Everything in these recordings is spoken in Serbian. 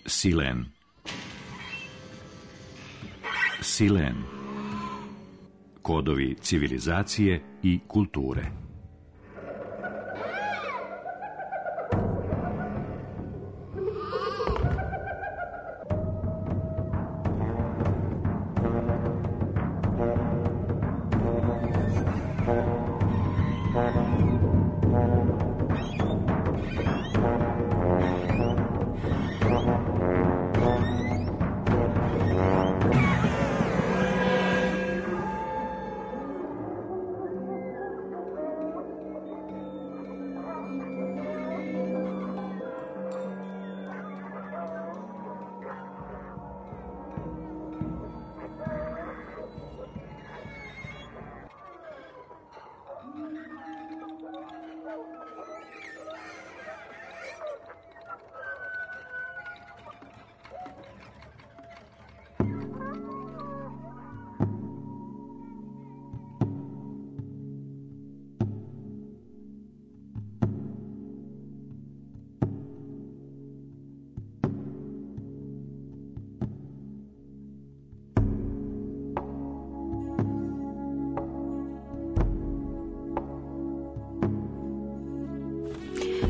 Silen. Silen. Kodovi civilizacije i kulture.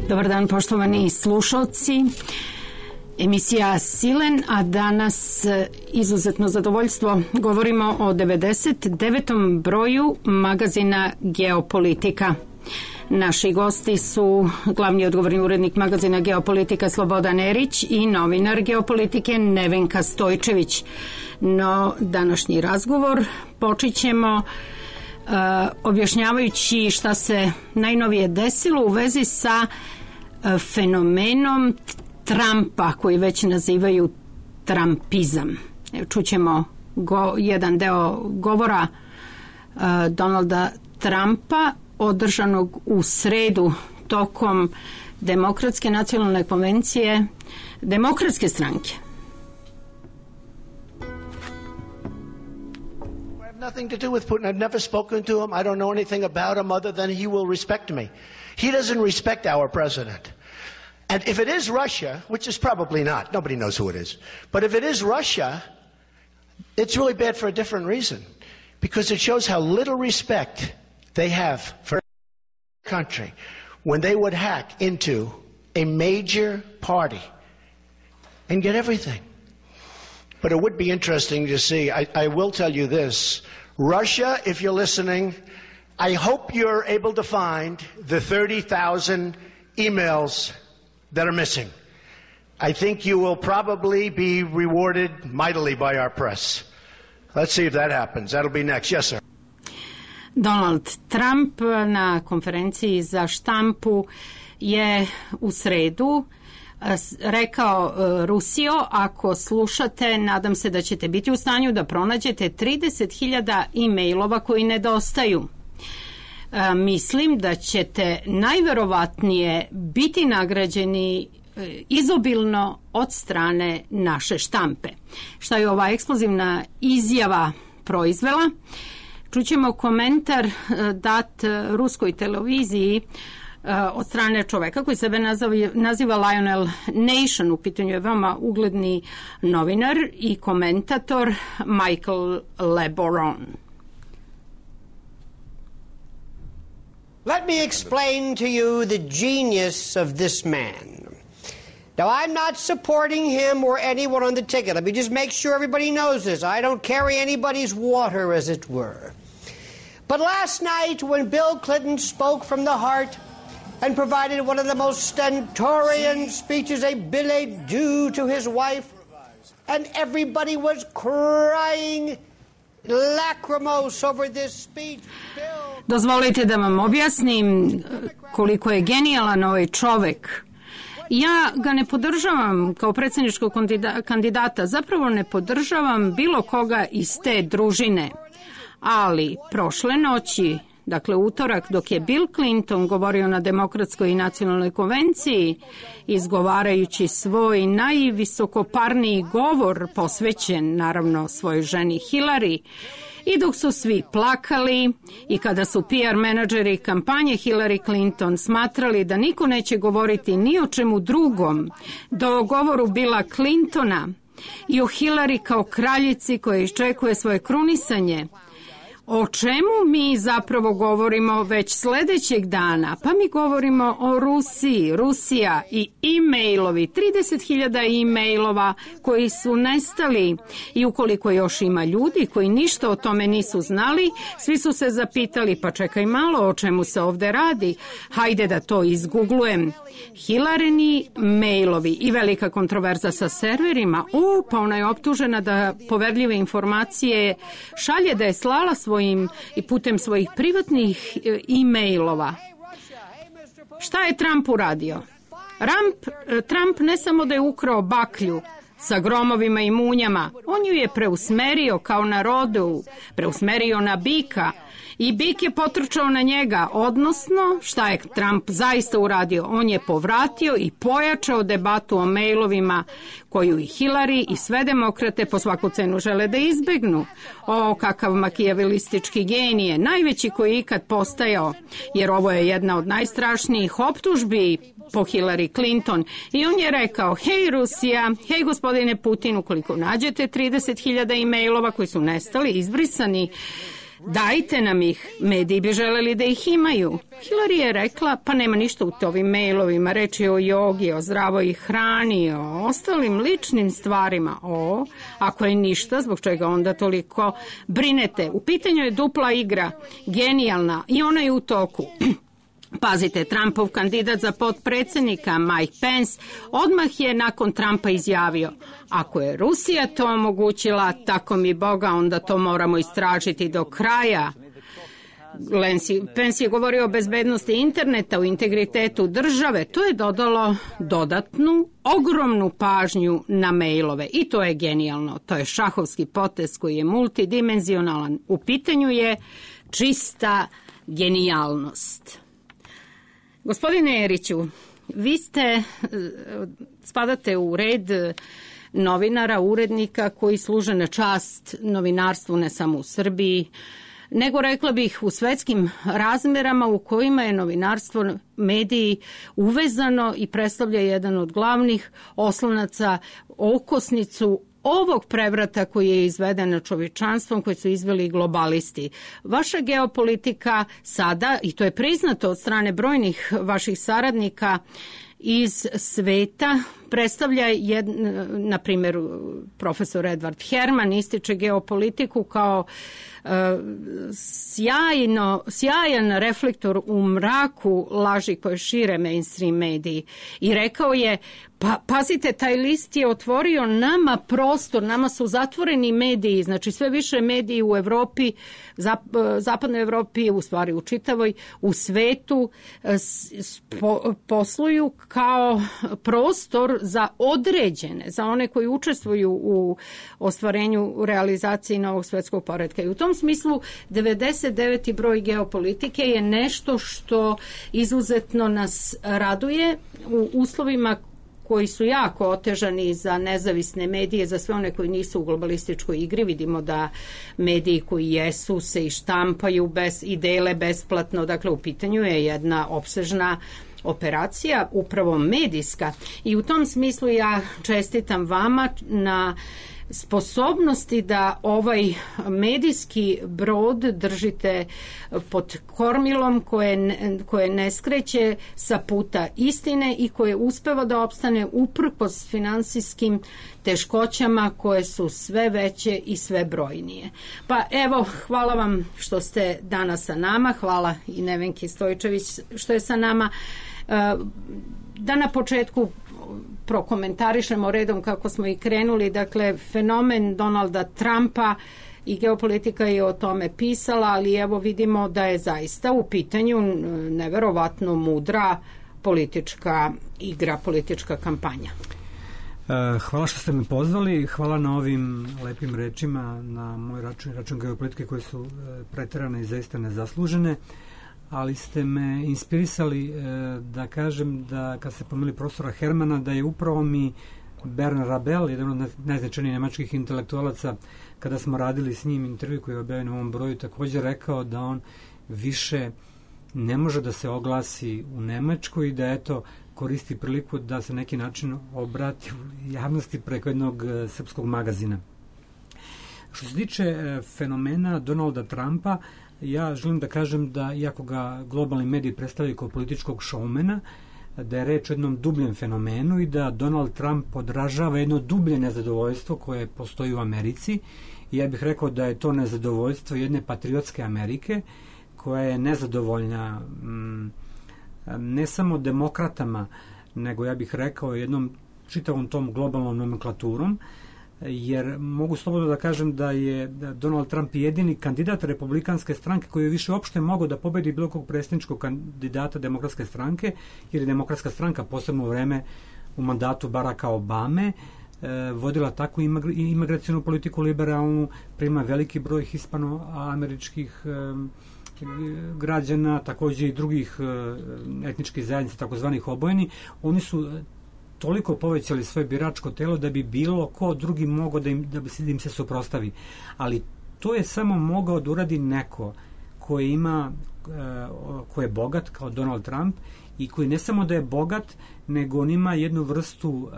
Dobar dan, poštovani slušalci. Emisija Silen, a danas izuzetno zadovoljstvo govorimo o 99. broju magazina Geopolitika. Naši gosti su glavni odgovorni urednik magazina Geopolitika Slobodan Erić i novinar Geopolitike Nevenka Stojčević. No, današnji razgovor počet ćemo objašnjavajući šta se najnovije desilo u vezi sa fenomenom Trumpa, koji već nazivaju Trumpizam. Čućemo jedan deo govora Donalda Trumpa održanog u sredu tokom Demokratske nacionalne konvencije Demokratske stranke. Nothing to do with Putin. I've never spoken to him. I don't know anything about him other than he will respect me. He doesn't respect our president. And if it is Russia, which is probably not, nobody knows who it is, but if it is Russia, it's really bad for a different reason. Because it shows how little respect they have for a country when they would hack into a major party and get everything. But it would be interesting to see. I will tell you this. Russia, if you're listening, I hope you're able to find the 30,000 emails that are missing. I think you will probably be rewarded mightily by our press. Let's see if that happens. That'll be next. Yes, sir. Donald Trump na konferenciji za štampu je u sredu rekao: Rusijo, ako slušate, nadam se da ćete biti u stanju da pronađete 30.000 e-mailova koji nedostaju. Mislim da ćete najverovatnije biti nagrađeni izobilno od strane naše štampe. Šta je ova eksplozivna izjava proizvela? Čućemo komentar dat ruskoj televiziji od strane čoveka koji sebe naziva Lionel Nation. U pitanju je veoma ugledni novinar i komentator Michael LeBaron. Let me explain to you the genius of this man. Now, I'm not supporting him or anyone on the ticket. Let me just make sure everybody knows this. I don't carry anybody's water, as it were. But last night, when Bill Clinton spoke from the heart and provided one of the most stentorian speeches, a billet doux to his wife, and everybody was crying lacrimose over this speech. Dozvolite da vam objasnim koliko je genijalan ovaj čovek. Ja ga ne podržavam kao predsjedničkog kandidata, zapravo ne podržavam bilo koga iz te družine. Ali prošle noći dakle utorak, dok je Bill Clinton govorio na Demokratskoj i nacionalnoj konvenciji, izgovarajući svoj najvisokoparniji govor posvećen naravno svojoj ženi Hillary, i dok su svi plakali i kada su PR menadžeri kampanje Hillary Clinton smatrali da niko neće govoriti ni o čemu drugom do o govoru Billa Clintona i o Hillary kao kraljici koja iščekuje svoje krunisanje, o čemu mi zapravo govorimo već sledećeg dana? Pa mi govorimo o Rusiji, Rusija i e-mailovi, 30.000 e-mailova koji su nestali, i ukoliko još ima ljudi koji ništa o tome nisu znali, svi su se zapitali, pa čekaj malo, o čemu se ovde radi, hajde da to izguglujem. Hillaryni mailovi i velika kontroverza sa serverima, pa ona je optužena da poverljive informacije šalje, da je slala svojim i putem svojih privatnih e-mailova. Šta je Trump uradio? Trump ne samo da je ukrao baklju sa gromovima i munjama, on ju je preusmerio kao na rodu, preusmerio na bika, i bik je potrčao na njega, odnosno šta je Trump zaista uradio? On je povratio i pojačao debatu o mailovima koju i Hillary i sve demokrate po svaku cenu žele da izbegnu. O, kakav makijavelistički genije, najveći koji je ikad postajao, jer ovo je jedna od najstrašnijih optužbi po Hillary Clinton. I on je rekao, hej Rusija, hej gospodine Putin, ukoliko nađete 30.000 e-mailova koji su nestali, izbrisani, dajte nam ih, mediji bi želeli da ih imaju. Hillary je rekla, pa nema ništa u ovim mailovima, reč je o jogi, o zdravoj hrani, o ostalim ličnim stvarima. Ako je ništa, zbog čega onda toliko brinete? U pitanju je dupla igra, genijalna, i ona je u toku. Pazite, Trumpov kandidat za potpredsjednika Mike Pence odmah je nakon Trumpa izjavio, ako je Rusija to omogućila, tako mi Boga, onda to moramo istražiti do kraja. Pence je govorio o bezbednosti interneta, o integritetu države. To je dodalo dodatnu, ogromnu pažnju na mailove i to je genijalno. To je šahovski potez koji je multidimenzionalan. U pitanju je čista genijalnost. Gospodine Eriću, vi spadate u red novinara, urednika koji služe na čast novinarstvu ne samo u Srbiji, nego rekla bih u svetskim razmerama u kojima je novinarstvo, mediji uvezano i predstavlja jedan od glavnih oslonaca, okosnicu ovog prevrata koji je izveden na čovječanstvom, koji su izveli globalisti. Vaša geopolitika sada, i to je priznato od strane brojnih vaših saradnika iz sveta, predstavlja, na primjer, profesor Edward Herman ističe geopolitiku kao sjajan reflektor u mraku laži koje šire mainstream mediji. I rekao je, pa pazite, taj list je otvorio nama prostor, nama su zatvoreni mediji, znači sve više mediji u Evropi, zapadnoj Evropi, u stvari u čitavoj, u svetu posluju kao prostor za određene, za one koji učestvuju u ostvarenju, u realizaciji novog svetskog poretka. I u tom smislu 99. broj geopolitike je nešto što izuzetno nas raduje u uslovima koji su jako otežani za nezavisne medije, za sve one koji nisu u globalističkoj igri. Vidimo da mediji koji jesu se i štampaju i dele besplatno. Dakle, u pitanju je jedna opsežna operacija, upravo medijska. I u tom smislu ja čestitam vama na sposobnosti da ovaj medijski brod držite pod kormilom koje ne skreće sa puta istine i koje uspeva da opstane uprkos finansijskim teškoćama koje su sve veće i sve brojnije. Pa evo, hvala vam što ste danas sa nama, hvala i Nevenki Stojčević što je sa nama. Da na početku prokomentarišemo redom kako smo i krenuli, dakle fenomen Donalda Trumpa i geopolitika je o tome pisala, ali evo vidimo da je zaista u pitanju neverovatno mudra politička igra, politička kampanja. Hvala što ste me pozvali, hvala na ovim lepim rečima na moj račun geopolitike koji su preterane i zaista nezaslužene, ali ste me inspirisali da kažem da kad ste pomenuli profesora Hermana, da je upravo mi Bernard Rabel, jedan od najznačajnijih nemačkih intelektualaca, kada smo radili s njim intervju koji je objavljen u ovom broju, također rekao da on više ne može da se oglasi u Nemačkoj i da eto koristi priliku da se neki način obrati javnosti preko jednog srpskog magazina. Što se tiče fenomena Donalda Trumpa, ja želim da kažem da, iako ga globalni mediji predstavljaju kao političkog šoumena, da je reč o jednom dubljem fenomenu i da Donald Trump odražava jedno dublje nezadovoljstvo koje postoji u Americi. I ja bih rekao da je to nezadovoljstvo jedne patriotske Amerike koja je nezadovoljna ne samo demokratama, nego ja bih rekao jednom čitavom tom globalnom nomenklaturom, jer mogu slobodno da kažem da je Donald Trump jedini kandidat republikanske stranke koji je više uopšte mogao da pobedi bilo kog predsjedničkog kandidata demokratske stranke, jer je demokratska stranka posebno u vreme u mandatu Baracka Obame vodila takvu imigracionu politiku liberalnu, prima veliki broj hispanoameričkih građana, također i drugih etničkih zajednica, takozvanih obojeni. Oni su toliko povećali svoje biračko telo da bi bilo ko drugi mogao da im se suprotstavi. Ali to je samo mogao da uradi neko ko je bogat kao Donald Trump i koji ne samo da je bogat, nego on ima jednu vrstu,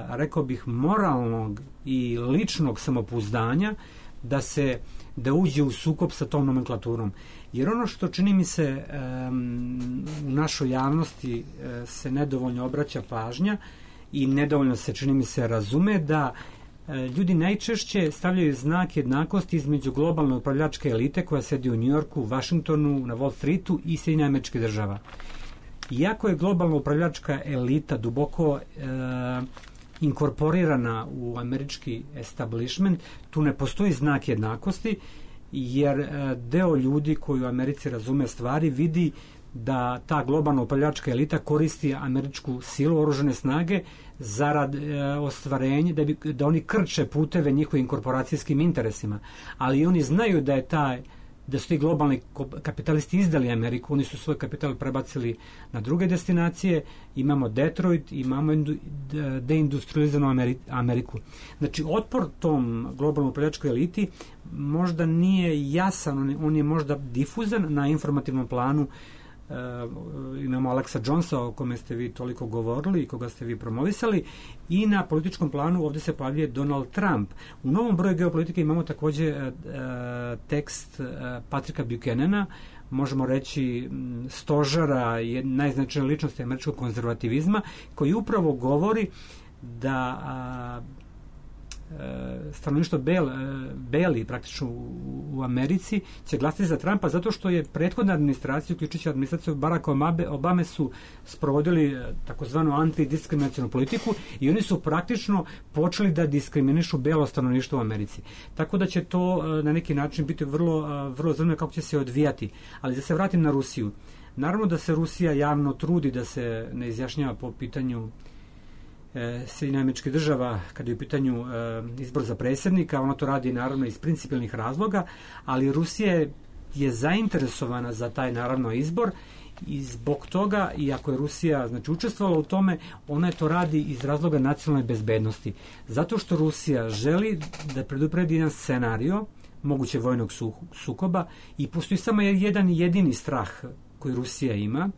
rekao bih, moralnog i ličnog samopouzdanja da uđe u sukob sa tom nomenklaturom. Jer ono što čini mi se u našoj javnosti se nedovoljno obraća pažnja i nedovoljno se, čini mi se, razume da ljudi najčešće stavljaju znak jednakosti između globalne upravljačke elite koja sedi u Njujorku, Vašingtonu, na Wall Streetu i Sjedinjenih Američkih Država. Iako je globalna upravljačka elita duboko inkorporirana u američki establishment, tu ne postoji znak jednakosti, jer deo ljudi koji u Americi razume stvari vidi da ta globalna upravljačka elita koristi američku silu, oružane snage zarad ostvarenja, da oni krče puteve njihovim korporacijskim interesima. Ali oni znaju da su ti globalni kapitalisti izdali Ameriku, oni su svoj kapital prebacili na druge destinacije, imamo Detroit, imamo deindustrializanu Ameriku. Znači, otpor tom globalnom upravljačkoj eliti možda nije jasan, on je možda difuzan na informativnom planu. Imamo Alexa Jonesa, o kome ste vi toliko govorili i koga ste vi promovisali, i na političkom planu ovdje se pojavljuje Donald Trump. U novom broju geopolitike imamo također tekst Patricka Buchanana, možemo reći stožara, najznačajnije ličnosti američkog konzervativizma, koji upravo govori da stanovništvo beli praktično u Americi će glasati za Trumpa zato što je prethodna administracija, uključujući administraciju Baracka Obame, su sprovodili takozvanu antidiskriminacionu politiku i oni su praktično počeli da diskriminišu belo stanovništvo u Americi. Tako da će to na neki način biti vrlo zanimljivo kako će se odvijati. Ali da se vratim na Rusiju. Naravno da se Rusija javno trudi da se ne izjašnjava po pitanju Sjedinjenih Američkih Država kada je u pitanju izbor za predsjednika. Ona to radi naravno iz principijelnih razloga, ali Rusija je zainteresovana za taj naravno izbor i zbog toga, iako je Rusija učestvovala u tome, ona to radi iz razloga nacionalne bezbednosti. Zato što Rusija želi da predupredi jedan scenario moguće vojnog sukoba i postoji samo jedan jedini strah koji Rusija ima,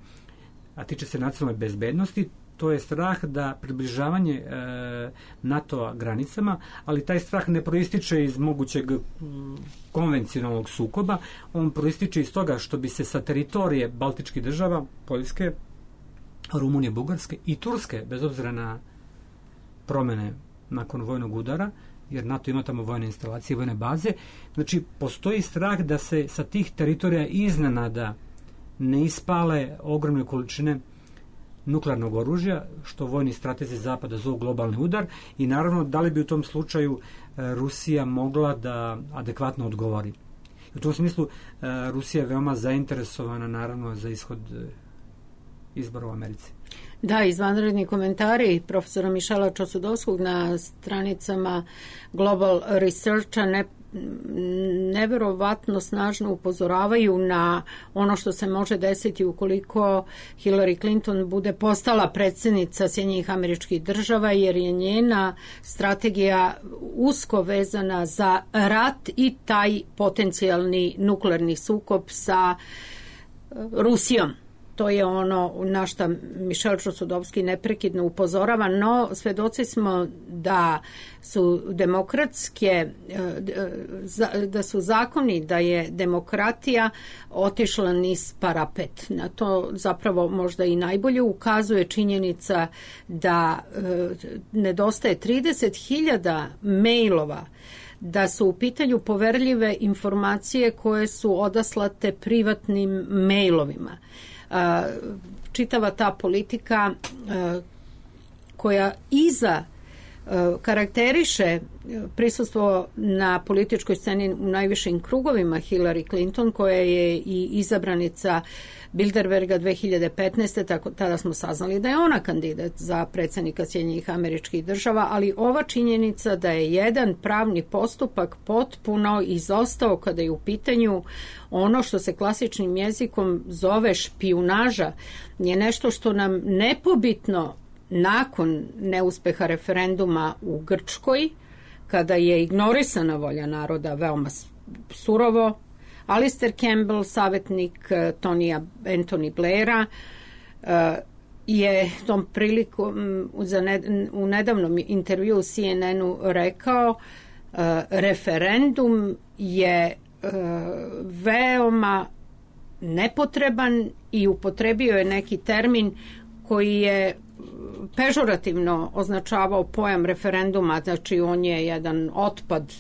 a tiče se nacionalne bezbednosti. To je strah da približavanje NATO-a granicama, ali taj strah ne proističe iz mogućeg konvencionalnog sukoba, on proističe iz toga što bi se sa teritorije Baltičkih država, Poljske, Rumunije, Bugarske i Turske, bez obzira na promjene nakon vojnog udara, jer NATO ima tamo vojne instalacije, vojne baze, znači postoji strah da se sa tih teritorija iznenada ne ispale ogromne količine nuklearnog oružja, što vojni stratezi Zapada zovu globalni udar, i naravno da li bi u tom slučaju Rusija mogla da adekvatno odgovori. U tom smislu Rusija je veoma zainteresovana naravno za ishod izbora u Americi. Da, izvanredni komentari profesora Mišela Čosudovskog na stranicama Global Researcha neverovatno snažno upozoravaju na ono što se može desiti ukoliko Hillary Clinton bude postala predsjednica Sjedinjenih Američkih Država, jer je njena strategija usko vezana za rat i taj potencijalni nuklearni sukob sa Rusijom. To je ono na što Mišel Čosudovski neprekidno upozorava, no svedoci smo da su da su zakoni, da je demokratija otišla niz parapet. Na to zapravo možda i najbolje ukazuje činjenica da nedostaje 30.000 mailova, da su u pitanju poverljive informacije koje su odaslate privatnim mailovima. Čitava ta politika koja karakteriše prisustvo na političkoj sceni u najvišim krugovima Hillary Clinton, koja je i izabranica Bilderberga 2015. Tada smo saznali da je ona kandidat za predsjednika Sjedinjenih Američkih Država, ali ova činjenica da je jedan pravni postupak potpuno izostao kada je u pitanju ono što se klasičnim jezikom zove špijunaža, je nešto što nam nepobitno nakon neuspeha referenduma u Grčkoj, kada je ignorisana volja naroda veoma surovo, Alistair Campbell, savjetnik Anthony Blaira, je tom prilikom u nedavnom intervju u CNN-u rekao referendum je veoma nepotreban i upotrebio je neki termin koji je pežorativno označavao pojam referenduma, znači on je jedan otpad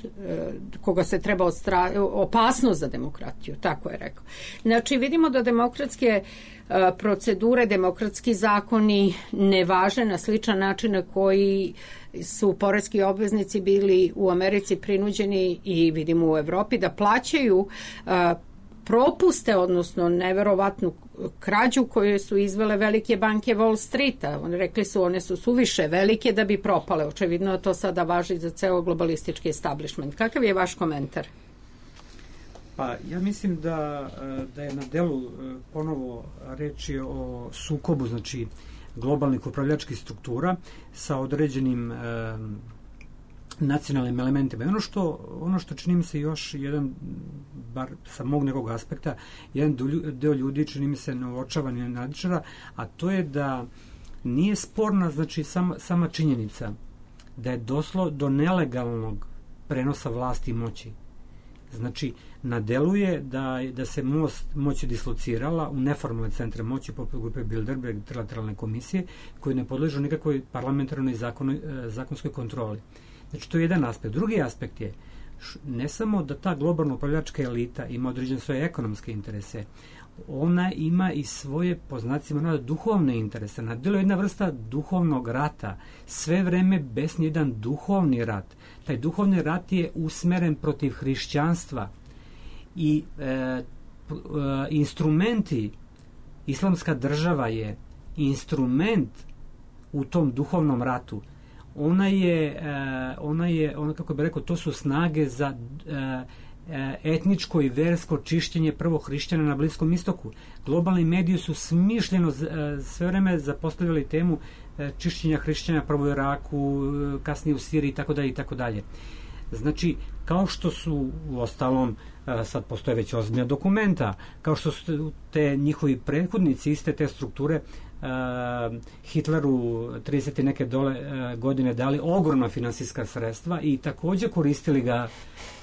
koga se treba opasnost za demokratiju, tako je rekao. Znači vidimo da demokratske procedure, demokratski zakoni ne važe na sličan način na koji su poreski obveznici bili u Americi prinuđeni i vidimo u Evropi da plaćaju propuste, odnosno neverovatnu krađu koju su izvele velike banke Wall Streeta. Oni rekli su one su suviše velike da bi propale. Očevidno to sada važi za ceo globalistički establishment. Kakav je vaš komentar? Pa ja mislim da je na delu ponovo reči o sukobu, znači globalnih upravljačkih struktura sa određenim nacionalnim elementima. Ono što čini mi se još jedan, bar sa mog nekog aspekta, jedan deo ljudi čini mi se neočavan i analitičara, a to je da nije sporna, znači sama činjenica da je došlo do nelegalnog prenosa vlasti i moći. Znači, na delu je da se moć dislocirala u neformalne centre moći poput grupe Bilderberg, trilateralne komisije, koje ne podležu nikakvoj parlamentarnoj zakonskoj kontroli. Znači, to je jedan aspekt. Drugi aspekt je ne samo da ta globalna upravljačka elita ima određene svoje ekonomske interese, ona ima i svoje, po znacima duhovne interese. Na delu je jedna vrsta duhovnog rata. Sve vreme besni jedan duhovni rat. Taj duhovni rat je usmeren protiv hrišćanstva i instrumenti, islamska država je instrument u tom duhovnom ratu. Ona kako bih rekao, to su snage za etničko i versko čišćenje prvo hrišćana na Bliskom istoku. Globalni mediji su smišljeno sve vreme zapostavljali temu čišćenja hrišćana prvo u Iraku, kasnije u Siriji itd. Znači, kao što su u ostalom, sad postoje već ozbiljna dokumenta, kao što su te njihovi prethodnici iste te strukture Hitleru 30 i neke godine dali ogromna finansijska sredstva i također koristili ga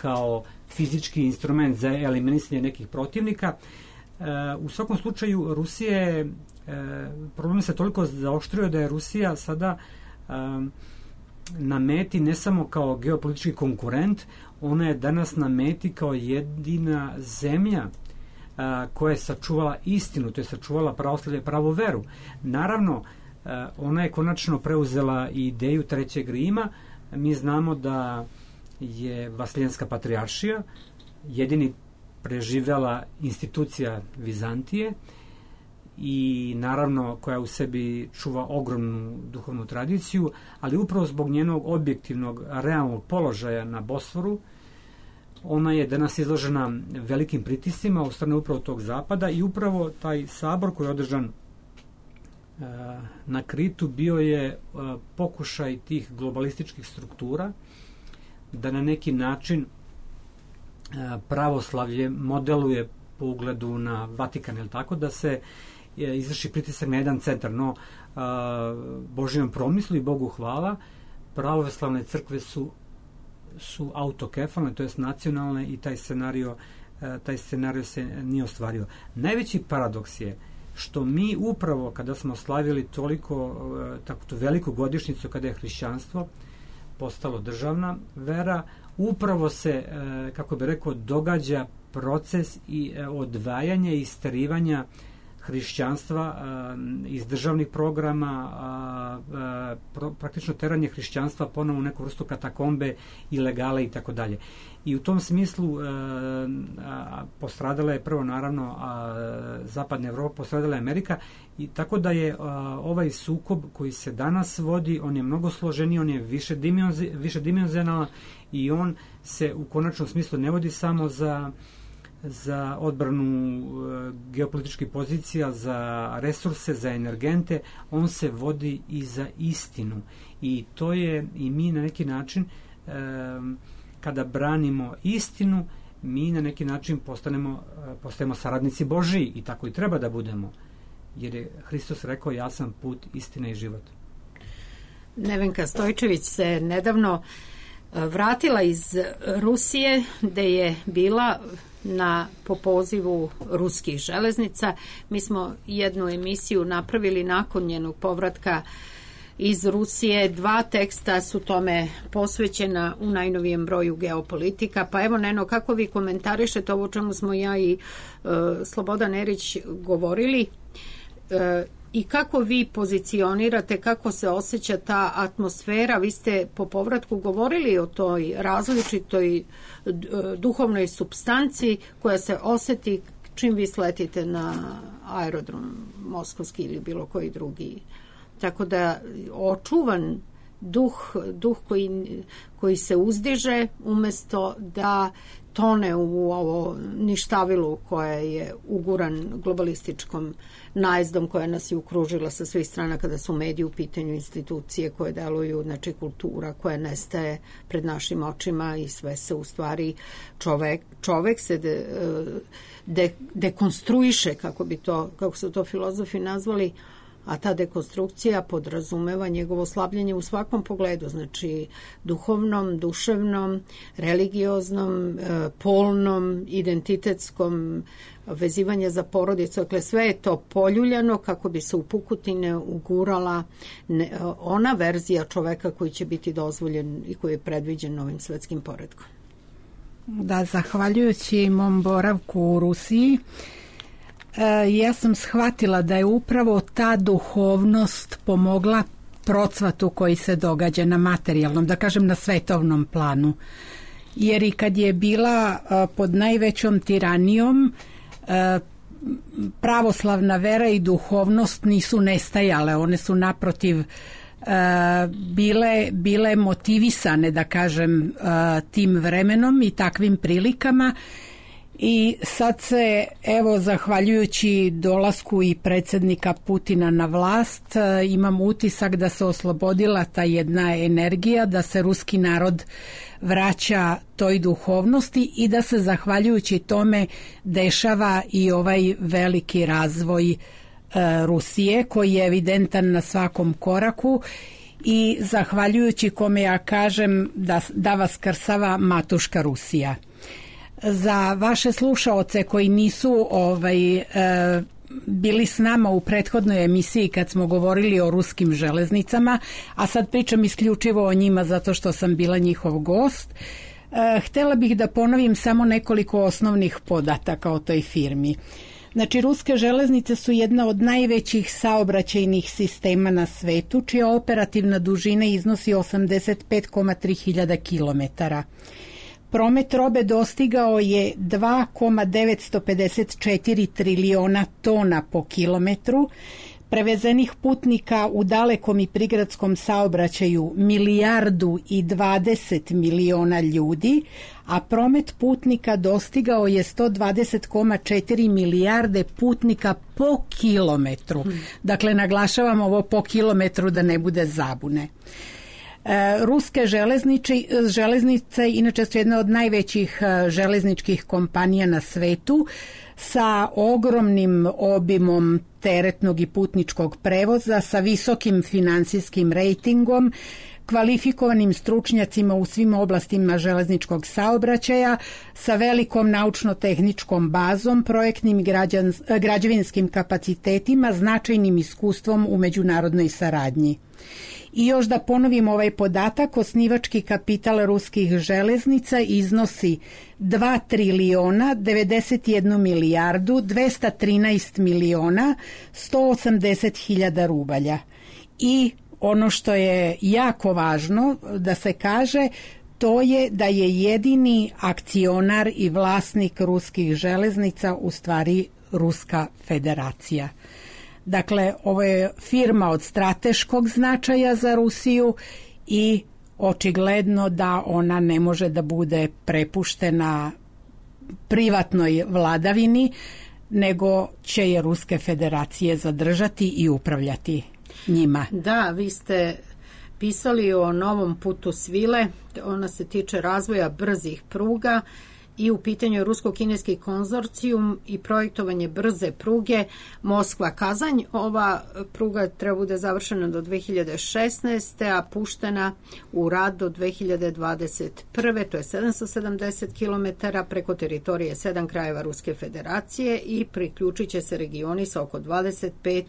kao fizički instrument za eliminisanje nekih protivnika. U svakom slučaju Rusije, problem se toliko zaoštrio da je Rusija sada na meti ne samo kao geopolitički konkurent, ona je danas na meti kao jedina zemlja koja je sačuvala istinu, to je sačuvala pravoslavlje, pravu veru. Naravno, ona je konačno preuzela ideju Trećeg Rima. Mi znamo da je Vasilijanska patrijaršija jedini preživela institucija Vizantije i naravno koja u sebi čuva ogromnu duhovnu tradiciju, ali upravo zbog njenog objektivnog realnog položaja na Bosforu, ona je danas izložena velikim pritiscima od strane upravo tog zapada i upravo taj sabor koji je održan na Kritu bio je pokušaj tih globalističkih struktura da na neki način pravoslavlje modeluje po ugledu na Vatikan, ili tako, da se izvrši pritisak na jedan centar. No, Božjem promislu i Bogu hvala, pravoslavne crkve su autokefalne, to jest nacionalne, i taj scenario se nije ostvario. Najveći paradoks je što mi upravo kada smo slavili toliko tako veliku godišnjicu kada je hrišćanstvo postalo državna vera, upravo se, kako bi rekao, događa proces i odvajanja i isterivanja hrišćanstva iz državnih programa, praktično teranje hrišćanstva ponovo u neku vrstu katakombe, ilegale i tako dalje. I u tom smislu postradala je prvo naravno Zapadna Evropa, postradala je Amerika, i tako da je ovaj sukob koji se danas vodi, on je mnogo složeniji, on je višedimenzionalan i on se u konačnom smislu ne vodi samo za odbranu geopolitičkih pozicija, za resurse, za energente, on se vodi i za istinu. I to je, i mi na neki način kada branimo istinu, mi na neki način postajemo saradnici Božiji, i tako i treba da budemo, jer je Hristos rekao: ja sam put, istina i život. Nevenka Stojčević se nedavno vratila iz Rusije, gde je bila po pozivu ruskih železnica. Mi smo jednu emisiju napravili nakon njenog povratka iz Rusije. 2 teksta su tome posvećena u najnovijem broju Geopolitika. Pa evo, Neno, kako vi komentarišete ovo o čemu smo ja i Slobodan Erić govorili, i kako vi pozicionirate, kako se osjeća ta atmosfera? Vi ste po povratku govorili o toj različitoj duhovnoj supstanci koja se osjeti čim vi sletite na aerodrom moskovski ili bilo koji drugi. Tako da očuvan duh koji se uzdiže umjesto da tone u ovo ništavilu koje je uguran globalističkom najezdom koja nas je okružila sa svih strana, kada su mediji u pitanju, institucije koje deluju, znači kultura koja nestaje pred našim očima i sve se u stvari čovek se dekonstruiše, kako su to filozofi nazvali, a ta dekonstrukcija podrazumeva njegovo slabljenje u svakom pogledu, znači duhovnom, duševnom, religioznom, polnom, identitetskom, vezivanje za porodicu. Dakle, sve je to poljuljano kako bi se u pukotine ugurala ona verzija čoveka koji će biti dozvoljen i koji je predviđen novim svetskim poretkom. Da, zahvaljujući mom boravku u Rusiji, ja sam shvatila da je upravo ta duhovnost pomogla procvatu koji se događa na materijalnom, da kažem na svetovnom planu. Jer i kad je bila pod najvećom tiranijom, pravoslavna vera i duhovnost nisu nestajale, one su naprotiv bile motivisane, da kažem, tim vremenom i takvim prilikama. I sad se, evo, zahvaljujući dolasku i predsjednika Putina na vlast, imam utisak da se oslobodila ta jedna energija, da se ruski narod vraća toj duhovnosti i da se zahvaljujući tome dešava i ovaj veliki razvoj Rusije koji je evidentan na svakom koraku i zahvaljujući kome ja kažem da vaskrsava matuška Rusija. Za vaše slušaoce koji nisu bili s nama u prethodnoj emisiji kad smo govorili o ruskim železnicama, a sad pričam isključivo o njima zato što sam bila njihov gost, htjela bih da ponovim samo nekoliko osnovnih podataka o toj firmi. Znači, ruske železnice su jedna od najvećih saobraćajnih sistema na svetu, čija operativna dužina iznosi 85,3 hiljada kilometara. promet robe dostigao je 2,954 triliona tona po kilometru, prevezenih putnika u dalekom i prigradskom saobraćaju 1,020 miliona ljudi, a promet putnika dostigao je 120,4 milijarde putnika po kilometru. Dakle, naglašavam ovo po kilometru da ne bude zabune. Ruske železnice inače su jedna od najvećih železničkih kompanija na svetu sa ogromnim obimom teretnog i putničkog prevoza, sa visokim finansijskim rejtingom, kvalifikovanim stručnjacima u svim oblastima železničkog saobraćaja, sa velikom naučno-tehničkom bazom, projektnim i građevinskim kapacitetima, značajnim iskustvom u međunarodnoj saradnji. I još da ponovim ovaj podatak, osnivački kapital ruskih železnica iznosi 2 triliona 91 milijardu 213 miliona 180 hiljada rubalja. I ono što je jako važno da se kaže, to je da je jedini akcionar i vlasnik ruskih železnica u stvari Ruska federacija. Dakle, ovo je firma od strateškog značaja za Rusiju i očigledno da ona ne može da bude prepuštena privatnoj vladavini, nego će je Ruske federacije zadržati i upravljati njima. Da, vi ste pisali o novom putu svile, ona se tiče razvoja brzih pruga i u pitanju je rusko-kineski konzorcijum i projektovanje brze pruge Moskva-Kazanj. Ova pruga treba bude završena do 2016. a puštena u rad do 2021. To je 770 km preko teritorije 7 krajeva Ruske federacije i priključit će se regioni sa oko 25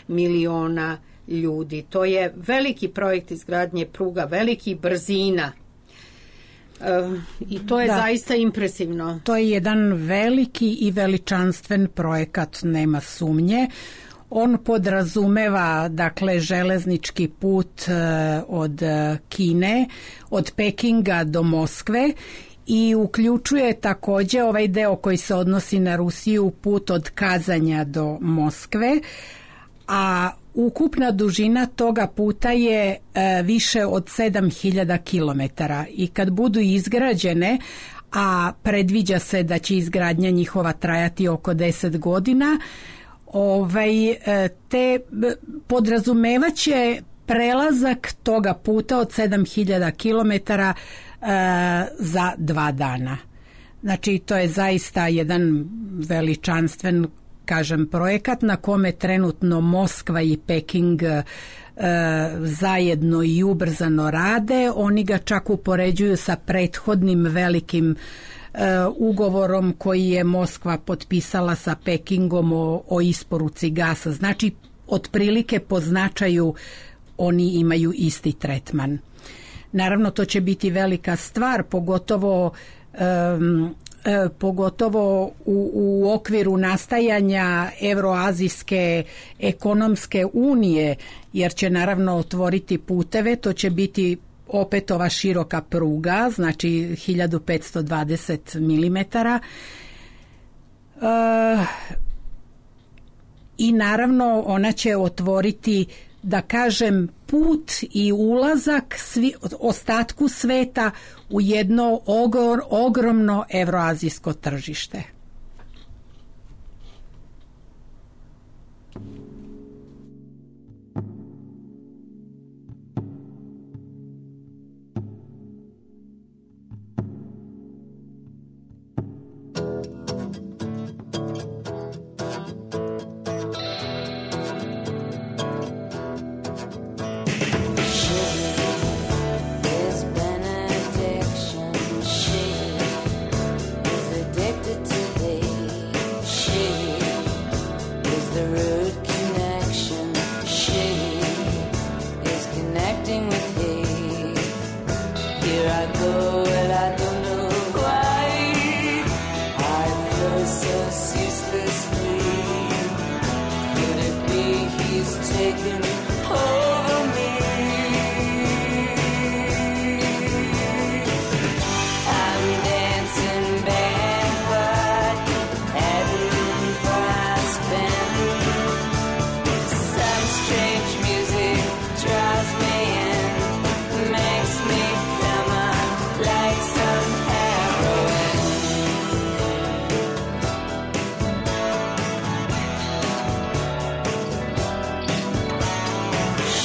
miliona ljudi. To je veliki projekt izgradnje pruga, velikih brzina. I to je zaista impresivno. To je jedan veliki i veličanstven projekat, nema sumnje. On podrazumeva, dakle, železnički put od Kine, od Pekinga do Moskve i uključuje takođe ovaj deo koji se odnosi na Rusiju, put od Kazanja do Moskve, a ukupna dužina toga puta je više od 7000 kilometara i kad budu izgrađene, a predviđa se da će izgradnja njihova trajati oko 10 godina, te podrazumevaće prelazak toga puta od 7000 kilometara za 2 dana. Znači, to je zaista jedan veličanstven, kažem, projekat na kome trenutno Moskva i Peking zajedno i ubrzano rade. Oni ga čak upoređuju sa prethodnim velikim ugovorom koji je Moskva potpisala sa Pekingom o isporuci gasa. Znači, otprilike po značaju oni imaju isti tretman. Naravno, to će biti velika stvar, pogotovo u okviru nastajanja Evroazijske ekonomske unije, jer će naravno otvoriti puteve. To će biti opet ova široka pruga, znači 1520 milimetara. I naravno ona će otvoriti, da kažem, put i ulazak ostatku sveta u jedno ogromno evroazijsko tržište. I'm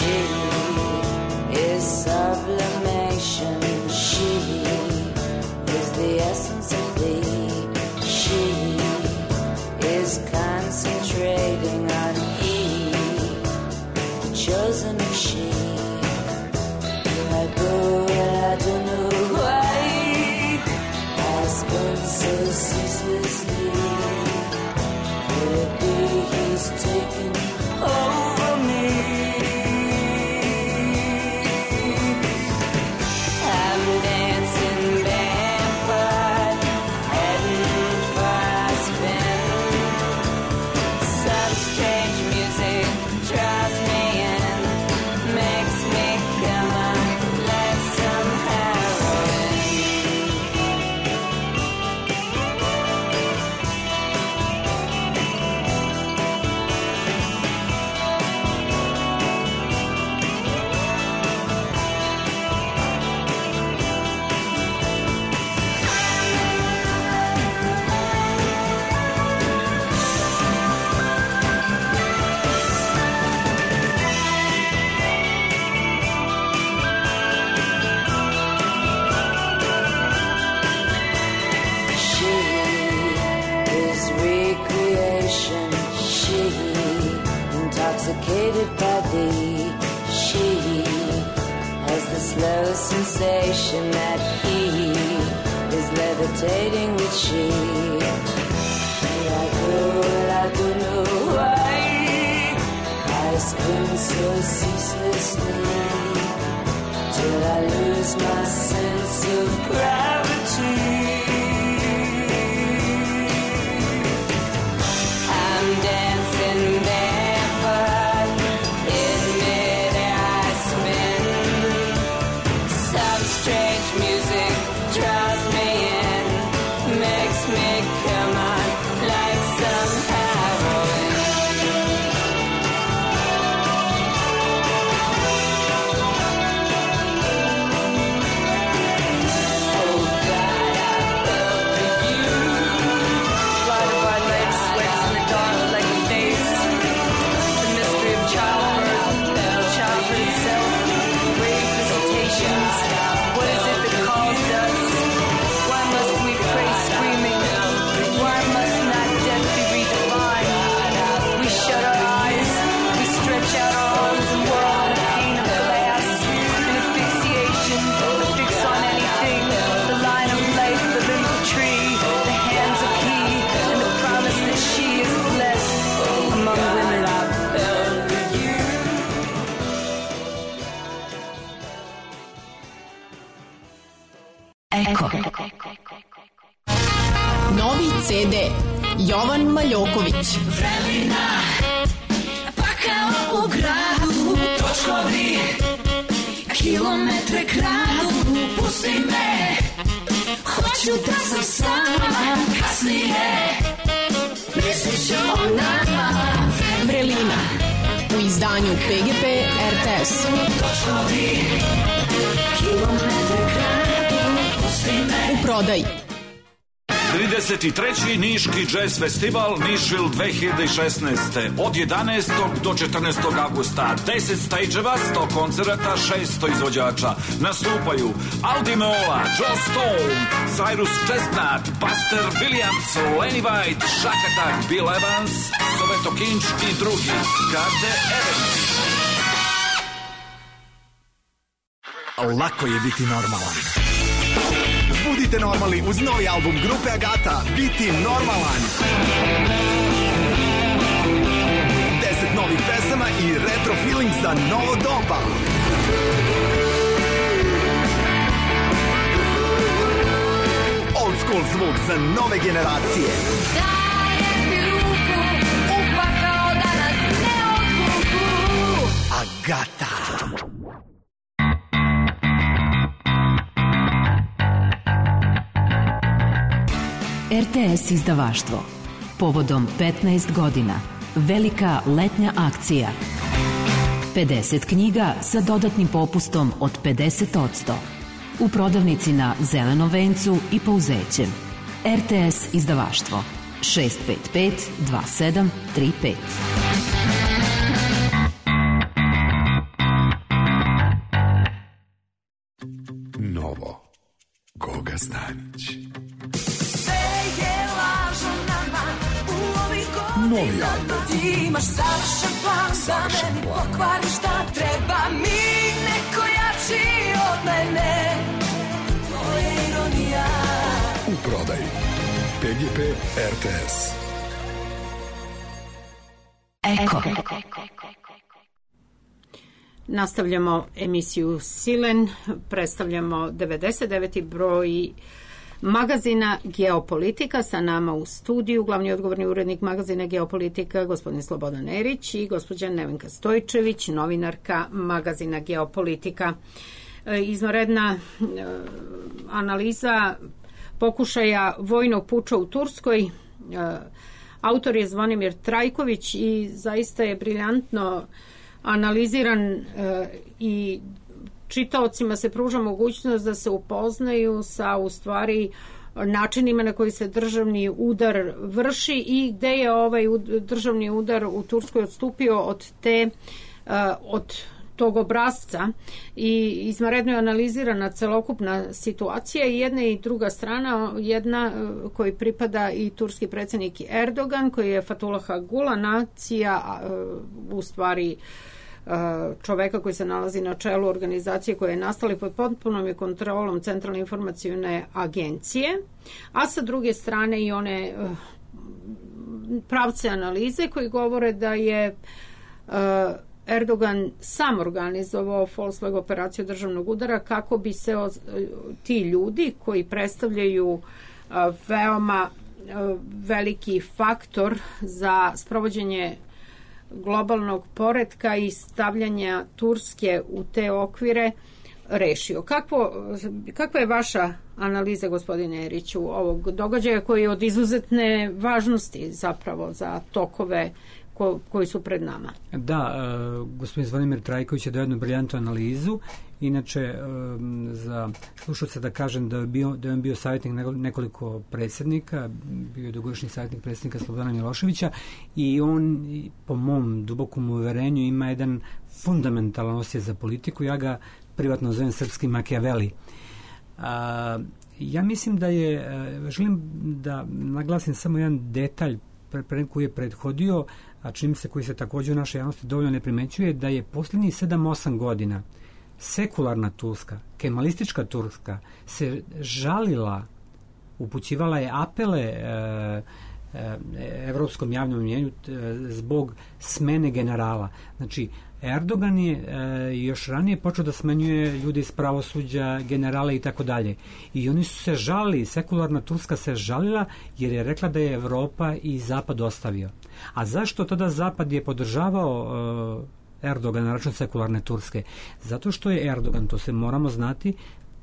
She is sublimation. She is the essence of thee. She is concentrating on he, the chosen of she. I go where I don't know why. I spend so ceaselessly. Could it be he's taking over me? I'm dancing barefoot, heading for a spin. Some strange music draws me in, makes me come on like some heroin. She is recreation. She intoxicated by thee. She has the slow sensation that he is levitating with she. Here I go and I don't know why. I spin so ceaselessly till I lose my sense of gravity. I'm dancing barefoot, in midair I spin. Some strange music draws me in, makes me come on like some heroin. Oh God, I fell for you. Light of our legs sweats in the dark like a face. The mystery of childbirth, childhood itself, grave visitations. What is it that caused us? Why must we pray screaming? Why must not death be redefined? We shut our eyes, we stretch out our arms and whirl in a pane of glass. An asphyxiation, a fix on anything. The line of life, the limb of tree, the hands of he, and the promise that she is blessed among women. Eko. Novi CD Jovan Maljoković. Vremena, pa kao u gradu, točkovi, kilometre kradu, pusti me, hoću da sam s vama kasnije, misliš o nama. Vrelina u izdanju PGP RTS. Točkovi, kilometre kradu, pusti me. U prodaji. 33. Niški jazz festival Nišvil 2016. Od 11. do 14. augusta 10 stage-eva, 100 koncerata, 600 izvođača. Nastupaju Aldi Meola, Joe Stone, Cyrus Chestnut, Buster Williams, Lenny White, Shack Attack, Bill Evans, Soveto Kinč i drugi. Karte Evans. Lako je biti normalan. Budite normalni uz novi album grupe Agata, Biti normalan. 10 novih pesama i retro feeling za novo doba. Old school zvuk za nove generacije. Dajem ti ruku, upakao da nas ne odvuku. Agata. RTS izdavaštvo. Povodom 15 godina. Velika letnja akcija. 50 knjiga sa dodatnim popustom od 50%. U prodavnici na Zelenom vencu i Pouzećem. RTS izdavaštvo. 655 2735. Boga Stanić. Sve je lažo nama u ovih Novi godina. album. Ti imaš savršen plan da meni pokvariš šta treba mi. Neko jači od mene. To je ironija. U prodaji PGP RTS. Eko. Nastavljamo emisiju Silen, predstavljamo 99. broj magazina Geopolitika. Sa nama u studiju glavni odgovorni urednik magazina Geopolitika gospodin Slobodan Erić i gospođa Nevenka Stojčević, novinarka magazina Geopolitika. Izvanredna analiza pokušaja vojnog puča u Turskoj. Autor je Zvonimir Trajković i zaista je briljantno analiziran i čitaocima se pruža mogućnost da se upoznaju sa u stvari načinima na koji se državni udar vrši i gde je ovaj državni udar u Turskoj odstupio od tog obrazca i izvanredno je analizirana celokupna situacija i jedna i druga strana, jedna koji pripada i turski predsjednik Erdogan koji je Fethullah Gulen, nacija u stvari čoveka koji se nalazi na čelu organizacije koje je nastala pod potpunom kontrolom Centralne informacijone agencije, a sa druge strane i one pravce analize koji govore da je Erdogan sam organizovao Volkswagen operaciju državnog udara kako bi se ti ljudi koji predstavljaju veoma veliki faktor za sprovođenje globalnog poretka i stavljanja Turske u te okvire rešio. Kakva je vaša analiza, gospodine Eriću, ovog događaja koji je od izuzetne važnosti zapravo za tokove koji su pred nama? Da, gospodin Zvonimir Trajković je dao jednu briljantnu analizu. Inače, za slušalce da kažem da je on bio savjetnik nekoliko predsjednika, bio je dugogodišnji savjetnik predsjednika Slobodana Miloševića i on, po mom dubokom uverenju, ima jedan fundamentalan osjećaj za politiku. Ja ga privatno zovem srpski Makijaveli. Ja mislim da želim da naglasim samo jedan detalj koji je prethodio, a čini se koji se također u našoj javnosti dovoljno ne primećuje, da je posljednjih 7-8 godina sekularna Turska, kemalistička Turska se žalila, upućivala je apele evropskom javnom mnjenju zbog smene generala. Znači, Erdogan je još ranije počeo da smenjuje ljude iz pravosuđa, generale i tako dalje. I oni su se žalili, sekularna Turska se žalila jer je rekla da je Evropa i Zapad ostavio. A zašto tada Zapad je podržavao Erdogan na račun sekularne Turske? Zato što je Erdogan, to se moramo znati,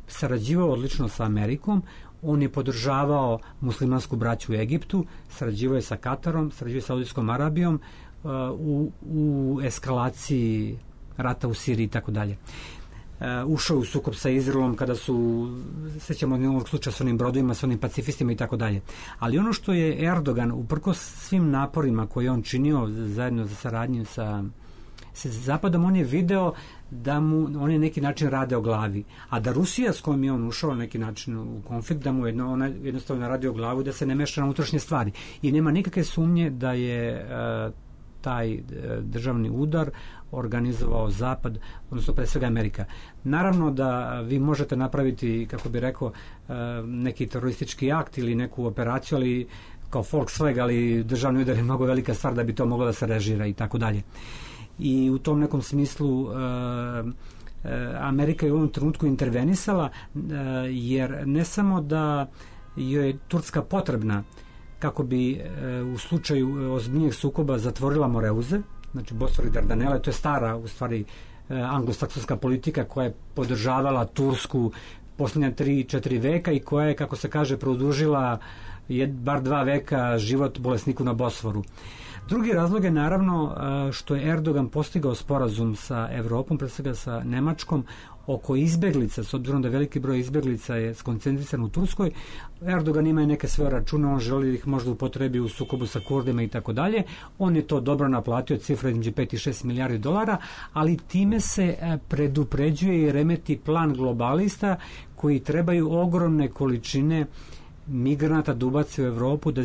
sarađivao odlično sa Amerikom. On je podržavao muslimansku braću u Egiptu, sarađivao je sa Katarom, sarađivao je sa Saudijskom Arabijom u eskalaciji rata u Siriji i tako dalje. Ušao u sukob sa Izraelom kada su, sećamo jednog slučaja s onim brodovima, s onim pacifistima i tako dalje. Ali ono što je Erdogan, uprkos svim naporima koje on činio zajedno za saradnju sa Zapadom, on je video da mu oni neki način rade o glavi, a da Rusija s kojom je on ušao na neki način u konflikt, da mu ona jednostavno radi o glavu, da se ne meša na unutrašnje stvari. I nema nikakve sumnje da je taj državni udar organizovao Zapad, odnosno pre svega Amerika. Naravno da vi možete napraviti, kako bi rekao, neki teroristički akt ili neku operaciju, ali kao Volkswagen, ali državni udar je mnogo velika stvar da bi to moglo da se režira i tako dalje. I u tom nekom smislu Amerika je u ovom trenutku intervenisala, jer ne samo da joj je Turska potrebna kako bi u slučaju ozbiljnijeg sukoba zatvorila Moreuze, znači Bosfor i Dardanele, to je stara u stvari anglosaksonska politika koja je podržavala Tursku posljednja 3-4 veka i koja je, kako se kaže, produžila bar 2 veka život bolesniku na Bosforu. Drugi razlog je naravno što je Erdogan postigao sporazum sa Evropom, pre svega sa Nemačkom, oko izbeglica, s obzirom da veliki broj izbeglica je skoncentrisan u Turskoj. Erdogan ima i neke svoje račune, on želi ih možda upotrebi u sukobu sa Kurdima i tako dalje. On je to dobro naplatio, cifra između 5 i 6 milijardi dolara, ali time se predupređuje i remeti plan globalista koji trebaju ogromne količine migranata da ubace u Evropu da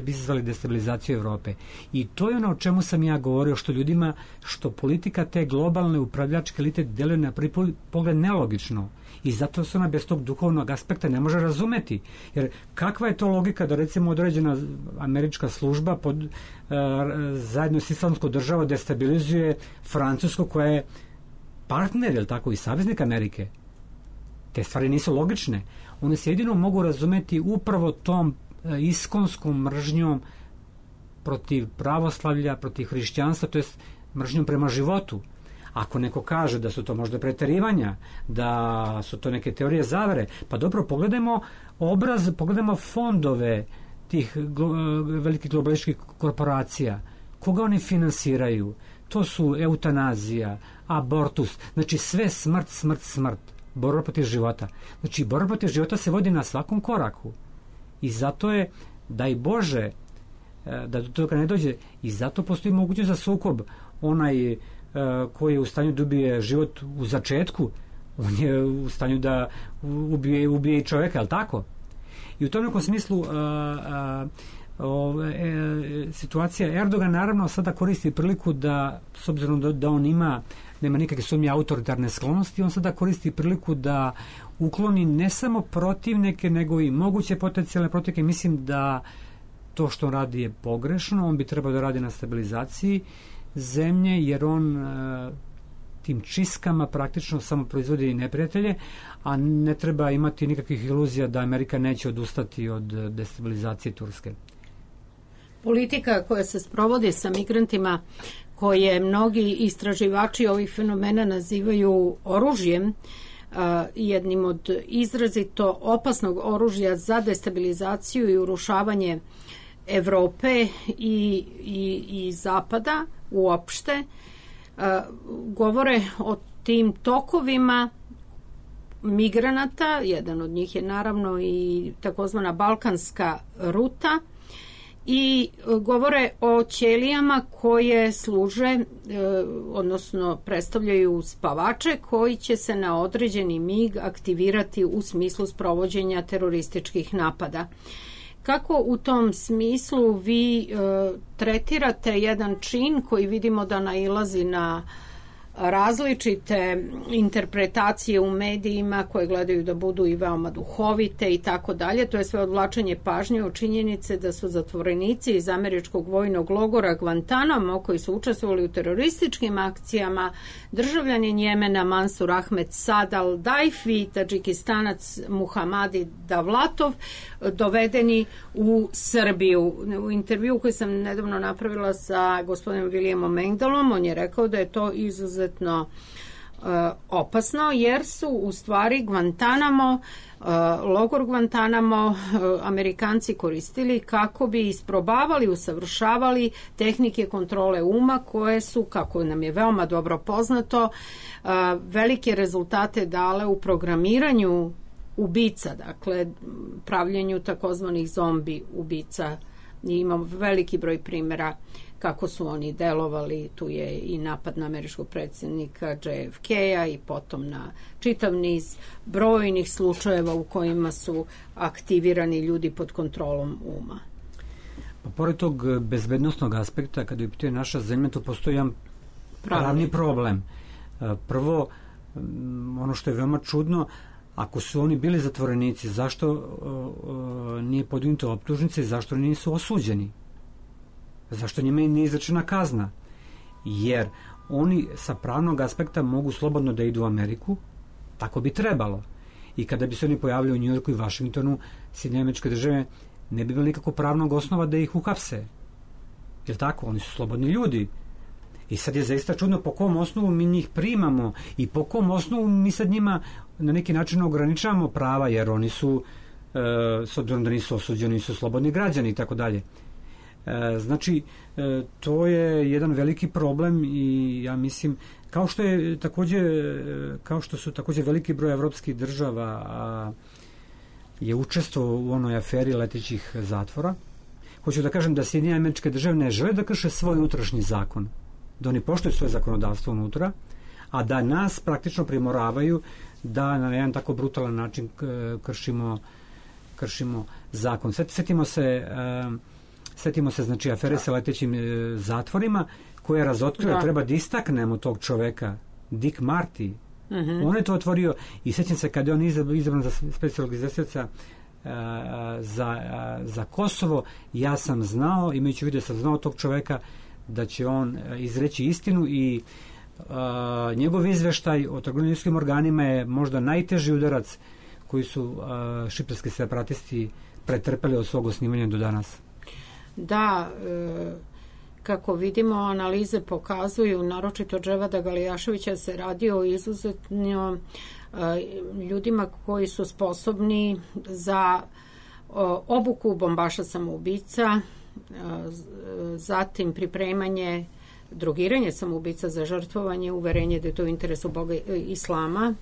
bi izazvali destabilizaciju Evrope. I to je ono o čemu sam ja govorio, što ljudima, što politika te globalne upravljačke elite deluje na prvi pogled nelogično. I zato se ona bez tog duhovnog aspekta ne može razumeti. Jer kakva je to logika da recimo određena američka služba zajedno s islamskom državom destabilizuje Francusku koja je partner, jel tako, i saveznik Amerike? Te stvari nisu logične. One se jedino mogu razumeti upravo tom iskonskom mržnjom protiv pravoslavlja, protiv hrišćanstva, to je mržnjom prema životu. Ako neko kaže da su to možda preterivanja, da su to neke teorije zavere, pa dobro, pogledajmo fondove tih velikih globalističkih korporacija. Koga oni finansiraju? To su eutanazija, abortus, znači sve smrt. Borba protiv života. Znači, borba protiv života se vodi na svakom koraku. I zato je, daj Bože, da do toga ne dođe, i zato postoji mogućnost za sukob. Onaj koji je u stanju da ubije život u začetku, on je u stanju da ubije i čoveka, je li tako? I u tom nekom smislu situacija Erdogan naravno sada koristi priliku da, s obzirom da on nema nikakve sumnje autoritarne sklonosti, on sada koristi priliku da ukloni ne samo protivnike, nego i moguće potencijalne protivnike. Mislim da to što on radi je pogrešno, on bi trebao da radi na stabilizaciji zemlje, jer on tim čistkama praktično samo proizvodi neprijatelje, a ne treba imati nikakvih iluzija da Amerika neće odustati od destabilizacije Turske. Politika koja se sprovodi sa migrantima, koje mnogi istraživači ovih fenomena nazivaju oružjem, jednim od izrazito opasnog oružja za destabilizaciju i urušavanje Evrope i Zapada uopšte, govore o tim tokovima migranata. Jedan od njih je naravno i takozvana balkanska ruta, i govore o ćelijama koje služe, odnosno predstavljaju spavače koji će se na određeni mig aktivirati u smislu sprovođenja terorističkih napada. Kako u tom smislu vi tretirate jedan čin koji vidimo da nailazi na različite interpretacije u medijima koje gledaju da budu i veoma duhovite i tako dalje? To je sve odvlačenje pažnje od činjenice da su zatvorenici iz američkog vojnog logora Guantanamo, koji su učestvovali u terorističkim akcijama, državljanin Jemena Mansur Ahmed Saad al-Daif i Tadžikistanac Muhamadi Davlatov, dovedeni u Srbiju. U intervju koji sam nedavno napravila sa gospodinom Williamom Engdahlom, on je rekao da je to izuzetno opasno, jer su u stvari Guantanamo, logor Guantanamo, Amerikanci koristili kako bi isprobavali, usavršavali tehnike kontrole uma, koje su, kako nam je veoma dobro poznato, velike rezultate dale u programiranju ubica, dakle pravljenju takozvanih zombi ubica. Imamo veliki broj primjera kako su oni delovali. Tu je i napad na američkog predsjednika JFK-a i potom na čitav niz brojnih slučajeva u kojima su aktivirani ljudi pod kontrolom uma. Pa pored tog bezbednostnog aspekta, kada je pitanje naša zemlja, tu postoji jedan pravni problem. Prvo, ono što je veoma čudno, ako su oni bili zatvorenici, zašto nije podignuto optužnice i zašto nisu osuđeni? Zašto njima nije izrečena kazna? Jer oni sa pravnog aspekta mogu slobodno da idu u Ameriku, tako bi trebalo. I kada bi se oni pojavili u Njujorku i Vašingtonu, Sjedinjene Američke Države ne bi imali nikako pravnog osnova da ih uhapse. Jer tako, oni su slobodni ljudi. I sad je zaista čudno po kom osnovu mi njih primamo i po kom osnovu mi sad njima na neki način ograničavamo prava, jer oni su, s obzirom da nisu osuđeni, nisu slobodni građani i tako dalje. Znači, to je jedan veliki problem i ja mislim, kao što su također veliki broj evropskih država je učestvovao u onoj aferi letećih zatvora. Hoću da kažem da Sjedinjene Američke Države ne žele da krše svoj unutrašnji zakon, da oni poštuju svoje zakonodavstvo unutra, a da nas praktično primoravaju da na jedan tako brutalan način kršimo zakon. Setimo se znači afere sa letećim zatvorima koje je razotkrila, treba da istaknemo tog čoveka, Dick Marty. On je to otvorio i sjećam se kad je on izabran za specijalnog izvestioca za Kosovo, ja sam znao, imajući vidio, sam znao tog čoveka da će on izreći istinu i njegov izveštaj o trgovinskim organima je možda najteži udarac koji su šiptarski separatisti pretrpeli od svog osnivanja do danas. Da, kako vidimo, analize pokazuju, naročito Dževada Galijaševića, se radi o izuzetno ljudima koji su sposobni za obuku bombaša samoubica, zatim pripremanje, drogiranje samoubica za žrtvovanje, uverenje da je to u interesu Boga Islama.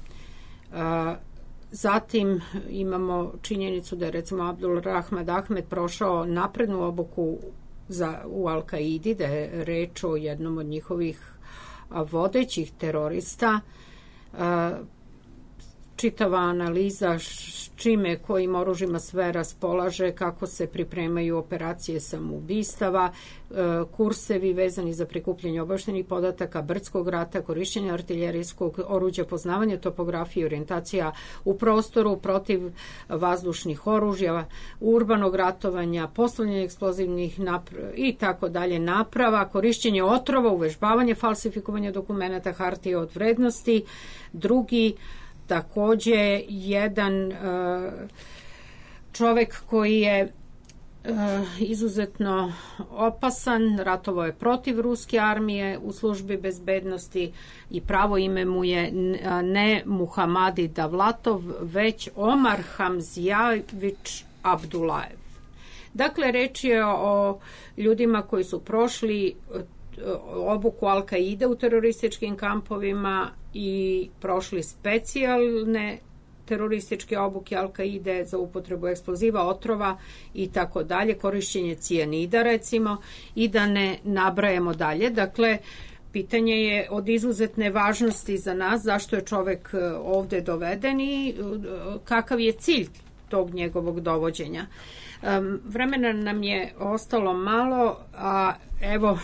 Zatim imamo činjenicu da je recimo Abdul Rahman Ahmed prošao naprednu obuku u Al-Kaidi, da je reč o jednom od njihovih vodećih terorista. Čitava analiza čime, kojim oružjima sve raspolaže, kako se pripremaju operacije samoubistava, kursevi vezani za prikupljanje obavještajnih podataka, brdskog rata, korišćenje artiljerijskog oruđa, poznavanje topografije, orijentacija u prostoru, protiv vazdušnih oružja, urbanog ratovanja, postavljanje eksplozivnih i tako dalje naprava, korišćenje otrova, uvežbavanje, falsifikovanje dokumenata, hartije od vrednosti. Drugi, takođe, jedan čovek koji je izuzetno opasan, ratovao je protiv ruske armije u službi bezbednosti i pravo ime mu je ne Muhamadi Davlatov, već Omar Hamzijević Abdulajev. Dakle, reč je o ljudima koji su prošli obuku Al-Kaide u terorističkim kampovima i prošli specijalne terorističke obuke Al-Kaide za upotrebu eksploziva, otrova i tako dalje, korišćenje cijanida recimo, i da ne nabrajamo dalje. Dakle, pitanje je od izuzetne važnosti za nas zašto je čovek ovde doveden i kakav je cilj tog njegovog dovođenja. Vremena nam je ostalo malo, a evo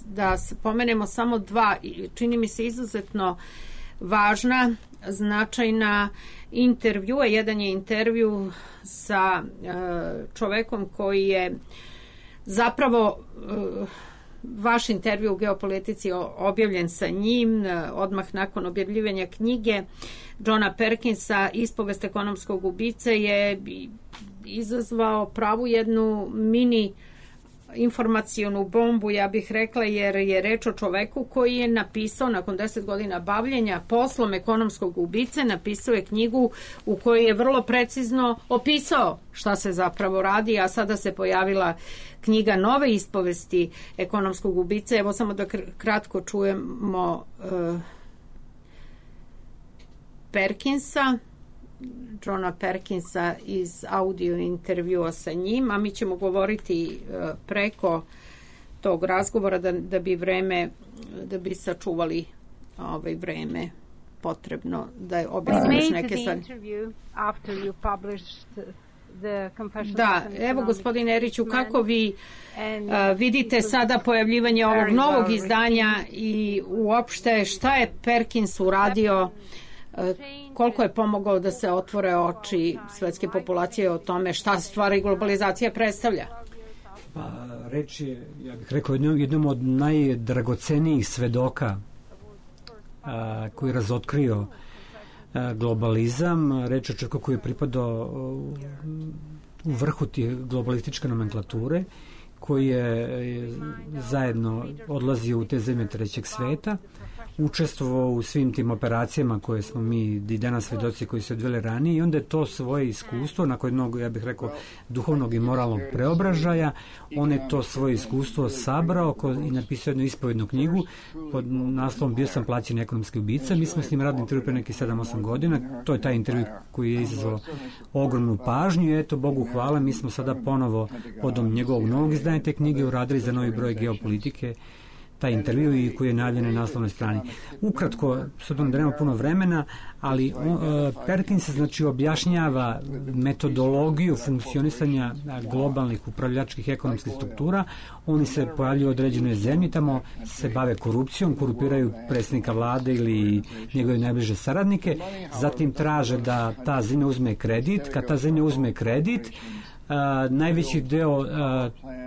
da pomenemo samo dva, čini mi se izuzetno važna, značajna intervjua. Jedan je intervju sa čovekom koji je zapravo vaš intervju u Geopolitici objavljen sa njim odmah nakon objavljivanja knjige Johna Perkinsa Ispovest ekonomskog ubice, je izazvao pravu jednu mini informacionu bombu, ja bih rekla, jer je reč o čoveku koji je napisao nakon 10 godina bavljenja poslom ekonomskog ubice, napisao je knjigu u kojoj je vrlo precizno opisao šta se zapravo radi, a sada se pojavila knjiga nove ispovesti ekonomskog ubice. Evo samo da kratko čujemo Perkinsa, Johna Perkinsa iz audio intervjua sa njim, a mi ćemo govoriti preko tog razgovora da bi sačuvali vreme potrebno da objasniš neke stvari. Da, evo gospodine Eriću, kako vi vidite sada pojavljivanje ovog novog izdanja i uopšte šta je Perkins uradio, koliko je pomogao da se otvore oči svetske populacije o tome šta stvari globalizacija predstavlja? Pa, reč je, ja bih rekao, jednom od najdragocenijih svedoka koji je razotkrio globalizam. Reč je o čovjeku koji je pripadao u vrhu tije globalističke nomenklature, koji je zajedno odlazio u te zemlje trećeg sveta, učestvovao u svim tim operacijama koje smo mi i danas svedoci koji se odvele ranije, i onda je to svoje iskustvo nakon jednog, ja bih rekao, duhovnog i moralnog preobražaja, on je to svoje iskustvo sabrao i napisao jednu ispovednu knjigu pod naslovom Bio sam plaćen ekonomski ubica. Mi smo s njim radili intervju pre nekih 7-8 godina, to je taj intervju koji je izazvao ogromnu pažnju i eto, Bogu hvala, mi smo sada ponovo podom njegovog novog izdanja te knjige uradili za novi broj Geopolitike taj intervju i koji je najavljen na naslovnoj strani. Ukratko, s obzirom da nema puno vremena, ali Perkins znači objašnjava metodologiju funkcionisanja globalnih upravljačkih ekonomskih struktura. Oni se pojavljuju u određenoj zemlji, tamo se bave korupcijom, korupiraju predsjednika vlade ili njegove najbliže saradnike, zatim traže da ta zemlja uzme kredit. Kad ta zemlja uzme kredit, najveći deo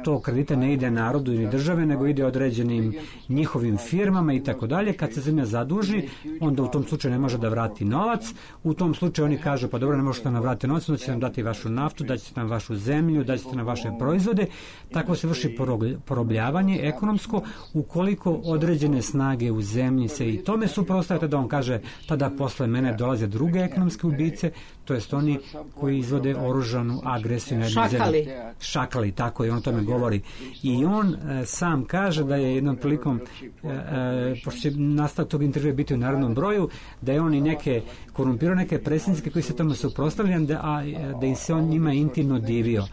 tog kredita ne ide narodu ili države, nego ide određenim njihovim firmama i tako dalje. Kad se zemlja zaduži, onda u tom slučaju ne može da vrati novac. U tom slučaju oni kažu, pa dobro, ne možete nam vratiti novac, onda ćete nam dati vašu naftu, daćete nam vašu zemlju, daćete nam vaše proizvode. Tako se vrši porobljavanje ekonomsko, ukoliko određene snage u zemlji se i tome suprotstavljaju, da on kaže, tada posle mene dolaze druge ekonomske ubice, to jest oni koji izvode oružanu agresiju na jednu zemlju. Šakali, tako je, on o tome govori. I on sam kaže da je jednom prilikom, pošto će nastavak tog intervjua biti u narednom broju, da je on i neke korumpirao neke predsjednike koji se tome suprotstavljaju, da im se on njima intimno divio.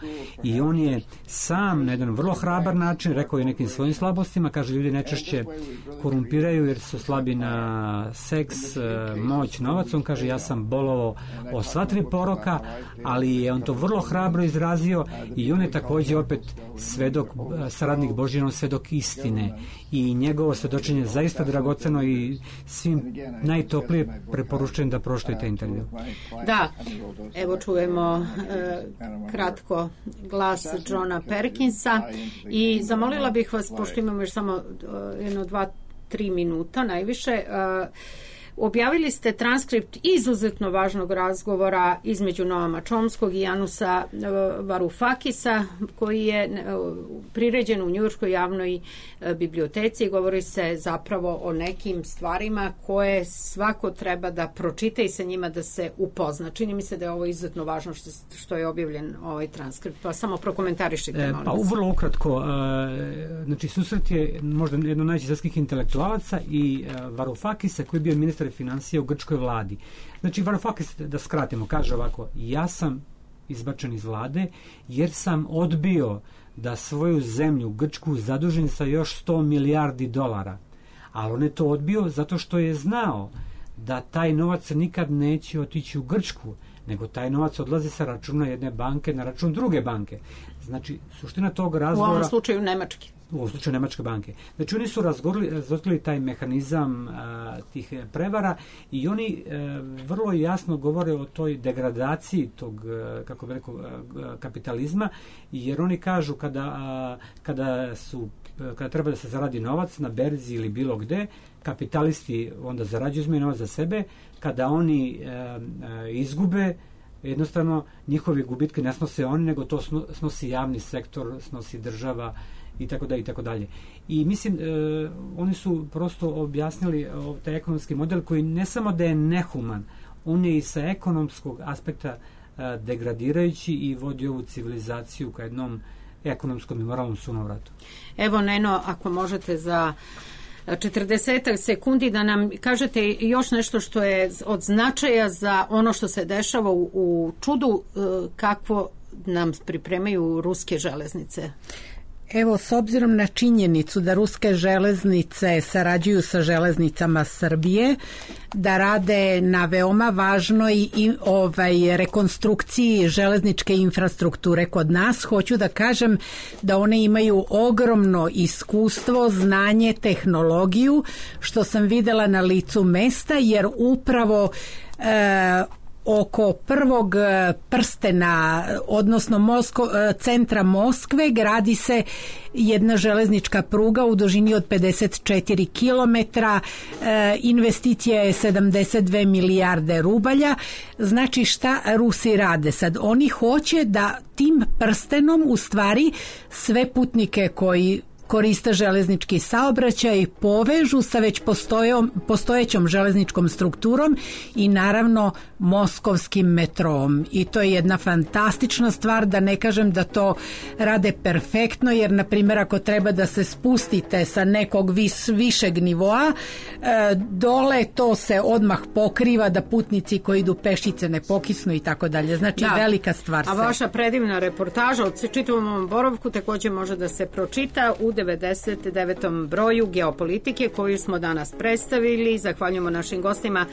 I on je sam na jedan vrlo hrabar način rekao i nekim svojim slabostima, kaže, ljudi najčešće korumpiraju jer su slabi na seks, moć, novac. On kaže, ja sam bolovao o sva tri poroka, ali je on to vrlo hrabro izrazio i on je također opet svedok, saradnik Božji, svedok istine i njegovo svedočenje je zaista dragoceno i svim najtoplije preporučujem da pročitate intervju. Da, evo čujemo kratko glas Johna Perkinsa i zamolila bih vas, pošto imamo još samo 1-2-3 minuta najviše, objavili ste transkript izuzetno važnog razgovora između Noama Chomskog i Janusa Varoufakisa, koji je priređen u Njujorškoj javnoj biblioteci i govori se zapravo o nekim stvarima koje svako treba da pročita i sa njima da se upozna. Čini mi se da je ovo izuzetno važno što je objavljen ovaj transkript. Pa samo prokomentarišite, molim vas. Pa vrlo ukratko, znači susret je možda jedno najvećih svjetskih intelektualaca i Varoufakisa, koji je bio ministar financija u grčkoj vladi. Znači Varoufakis, da skratimo, kaže ovako: ja sam izbačen iz vlade jer sam odbio da svoju zemlju, Grčku, zadužim sa još 100 milijardi dolara. Ali on je to odbio zato što je znao da taj novac nikad neće otići u Grčku, nego taj novac odlazi sa računa jedne banke na račun druge banke. Znači, suština tog razgovora... U ovom slučaju Nemačke. U ovom slučaju Nemačke banke. Znači, oni su razgovorili taj mehanizam tih prevara i oni vrlo jasno govore o toj degradaciji tog, kako bi rekao, kapitalizma, jer oni kažu kada treba da se zaradi novac na berzi ili bilo gde, kapitalisti onda zarađuju, uzmeju novac za sebe, kada oni izgube, jednostavno njihove gubitke ne snose oni, nego to snosi javni sektor, snosi država i tako dalje i tako dalje. I mislim, oni su prosto objasnili taj ekonomski model koji ne samo da je nehuman, on je i sa ekonomskog aspekta degradirajući i vodi ovu civilizaciju ka jednom ekonomskom i moralnom sunovratu. Evo, Neno, ako možete za 40 sekundi da nam kažete još nešto što je od značaja za ono što se dešava u čudu, kakvo nam pripremaju ruske železnice. Evo, s obzirom na činjenicu da ruske železnice sarađuju sa železnicama Srbije, da rade na veoma važnoj rekonstrukciji železničke infrastrukture kod nas, hoću da kažem da one imaju ogromno iskustvo, znanje, tehnologiju, što sam videla na licu mesta, jer upravo oko prvog prstena, odnosno centra Moskve, gradi se jedna železnička pruga u dužini od 54 km, investicija je 72 milijarde rubalja. Znači, šta Rusi rade sad? Oni hoće da tim prstenom u stvari sve putnike koji koriste železnički saobraćaj povežu sa već postojećom železničkom strukturom i naravno moskovskim metrom. I to je jedna fantastična stvar, da ne kažem da to rade perfektno, jer na primjer ako treba da se spustite sa nekog višeg nivoa, dole to se odmah pokriva da putnici koji idu pešice ne pokisnu i tako dalje. Znači, velika stvar. A vaša predivna reportaža od čitavom ovom boravku također može da se pročita u 99. broju Geopolitike koju smo danas predstavili. Zahvaljujemo našim gostima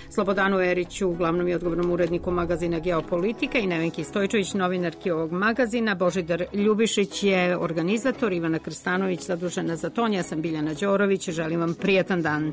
Slobodanu Eriću, glavnom i odgovornom uredniku magazina Geopolitika, i Nevenki Stojčević, novinarki ovog magazina. Božidar Ljubišić je organizator, Ivana Krstanović zadužena za ton. Ja sam Biljana Đorović. Želim vam prijatan dan.